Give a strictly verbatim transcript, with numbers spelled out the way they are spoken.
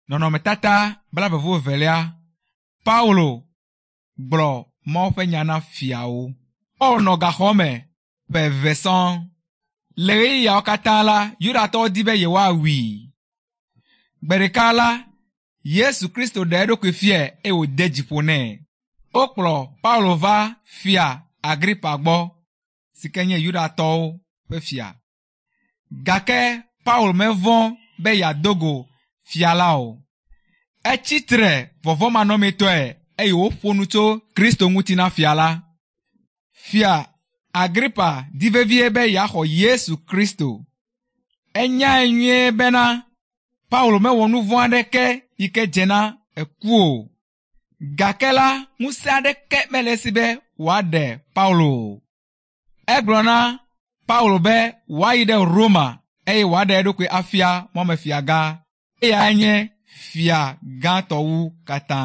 Nɔnɔmetata blaeve-vɔ-evelia. Paulo gblɔ Mawu ƒe nya na fiawo. Paul nɔ gaxɔ me ƒe eve sɔŋ. Le ɣeyiɣiawo katã la, Yudatɔwo di be yewoawui. Gbe ɖeka la, Yesu Kristo ɖe eɖokui fiae eye wòde dzi ƒo nɛ. Wokplɔ Paulo va fia Agripa gbɔ si ke nye Yudatɔwo ƒe fia. Gake Paulo mevɔ̃ be yeado go fia la o. Etsi tre vɔvɔ̃manɔmetɔe eye wòƒo nu tso Kristo ŋuti na fia la. Fia Agripa di vevie be yeaxɔ Yesu Kristo. Enyae nyuie bena Paulo mewɔ nu vɔ̃ aɖeke yi ke dze na eku o. Gake la, ŋusẽ aɖeke mele esi be wòaɖe Paulo o. Egblɔ na Paulo be wòayi ɖe Roma eye wòaɖe eɖokui afia mɔmefiagã. Eyae nye fia gãtɔ wu katã.